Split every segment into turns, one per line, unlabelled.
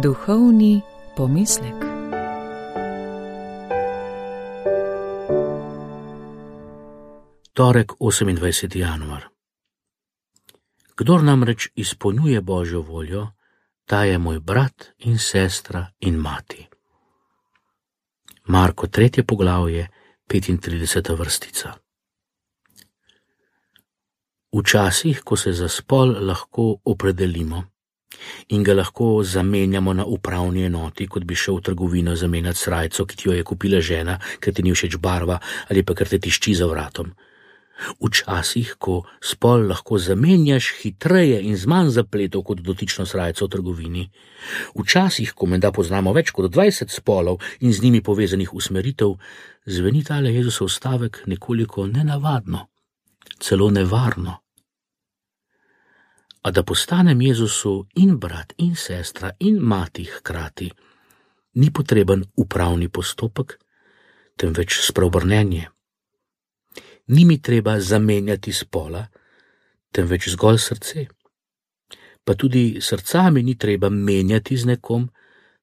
Duhovni pomislek.
Torek, 28. januar. Kdor namreč izpolnjuje Božjo voljo, ta je moj brat in sestra in mati. Marko 3. poglavje, 35. vrstica. Včasih, ko se za spol lahko opredelimo in ga lahko zamenjamo na upravni enoti, kot bi šel v trgovino zamenjati srajco, ki ti jo je kupila žena, ker ti ni všeč barva ali pa ker te tišči za vratom. Včasih, ko spol lahko zamenjaš hitreje in z manj zapletov kot dotično srajco v trgovini. Včasih, ko menda poznamo več kot 20 spolov in z njimi povezanih usmeritev, zveni tale Jezusov stavek nekoliko nenavadno, celo nevarno. A da postanem Jezusu in brat in sestra in mati hkrati, ni potreben upravni postopek, temveč spreobrnenje. Ni mi treba zamenjati spola, temveč zgolj srce. Pa tudi srca mi ni treba menjati z nekom,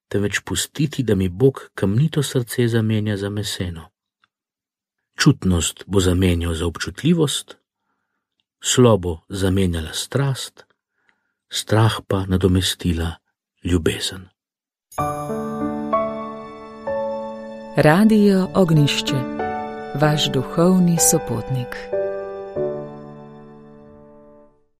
temveč pustiti, da mi Bog kamnito srce zamenja za meseno. Čutnost bo zamenjal za občutljivost, slobo zamenjala strast, strah pa nadomestila ljubezen.
Radio Ognjišče, vaš duhovni sopotnik.